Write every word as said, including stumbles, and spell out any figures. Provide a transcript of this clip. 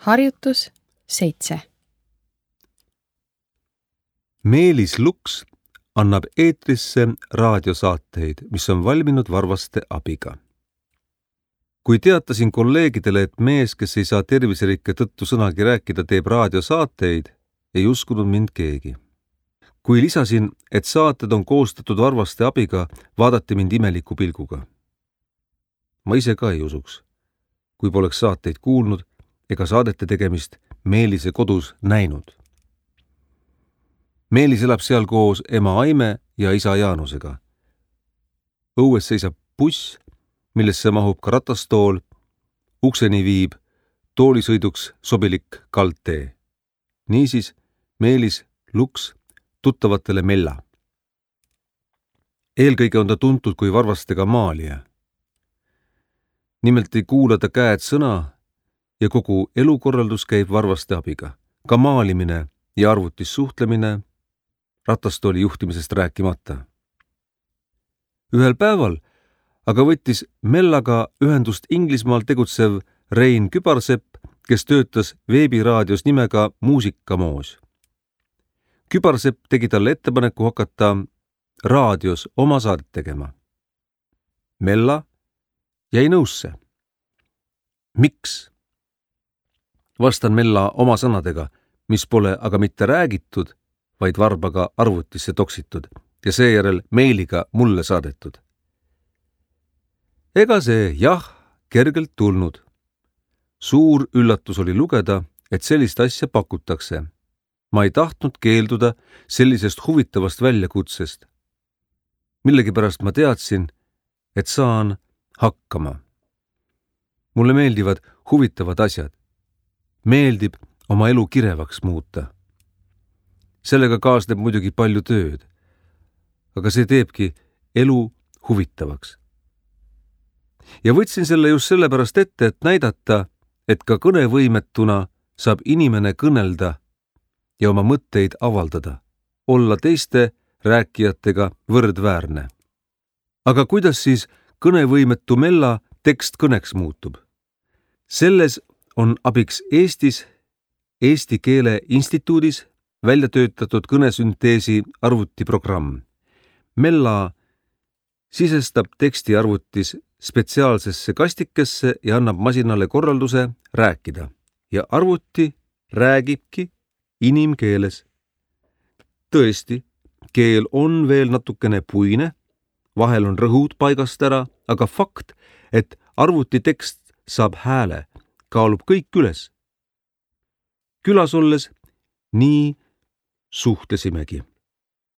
Harjutus seitse. Meelis Luks annab eetrisse raadiosaateid, mis on valminud Varvaste abiga. Kui teatasin kolleegidele, et mees, kes ei saa terviserikke tõttu sõnagi rääkida, teeb raadiosaateid, ei uskunud mind keegi. Kui lisasin, et saated on koostatud Varvaste abiga, vaadati mind imeliku pilguga. Ma ise ka ei usuks, kui poleks saateid kuulnud ega saadete tegemist Meelise kodus näinud. Meelis elab seal koos ema Aime ja isa Jaanusega. Õues seisab buss, millesse mahub ka ratastool, ukseni viib toolisõiduks sobilik kaldtee. Niisiis Meelis Luks tuttavatele Mella. Eelkõige on ta tuntud kui Varvastega maalija. Nimelt ei kuula ta käed sõna ja kogu elukorraldus käib Varvaste abiga. Ka maalimine ja arvutis suhtlemine, ratastooli juhtimisest rääkimata. Ühel päeval aga võttis Mellaga ühendust Inglismaal tegutsev Rein Kübarsepp, kes töötas veebiraadios nimega Muusikamoos. Kübarsepp tegi talle ettepaneku hakata raadios oma saadet tegema. Mella jäi nõusse. Miks? Vastan Mella oma sõnadega, mis pole aga mitte räägitud, vaid varbaga arvutisse toksitud ja seejärel meiliga mulle saadetud. Ega see jah kergelt tulnud. Suur üllatus oli lugeda, et sellist asja pakutakse. Ma ei tahtnud keelduda sellisest huvitavast väljakutsest. Millegipärast ma teadsin, et saan hakkama. Mulle meeldivad huvitavad asjad. Meeldib oma elu kirevaks muuta. Sellega kaasneb muidugi palju tööd, aga see teebki elu huvitavaks. Ja võtsin selle just sellepärast ette, et näidata, et ka kõnevõimetuna saab inimene kõnelda ja oma mõtteid avaldada, olla teiste rääkijatega võrdväärne. Aga kuidas siis kõnevõimetu Mella tekst kõneks muutub? Selles on abiks Eestis Eesti Keele Instituudis välja töötatud kõnesünteesi arvutiprogramm. Mella sisestab teksti arvutis spetsiaalsesse kastikesse ja annab masinale korralduse rääkida. Ja arvuti räägibki inimkeeles. Tõesti, keel on veel natukene puine, vahel on rõhud paigast ära, aga fakt, et arvuti tekst saab hääle, kaalub kõik üles. Külas olles nii suhtlesimegi.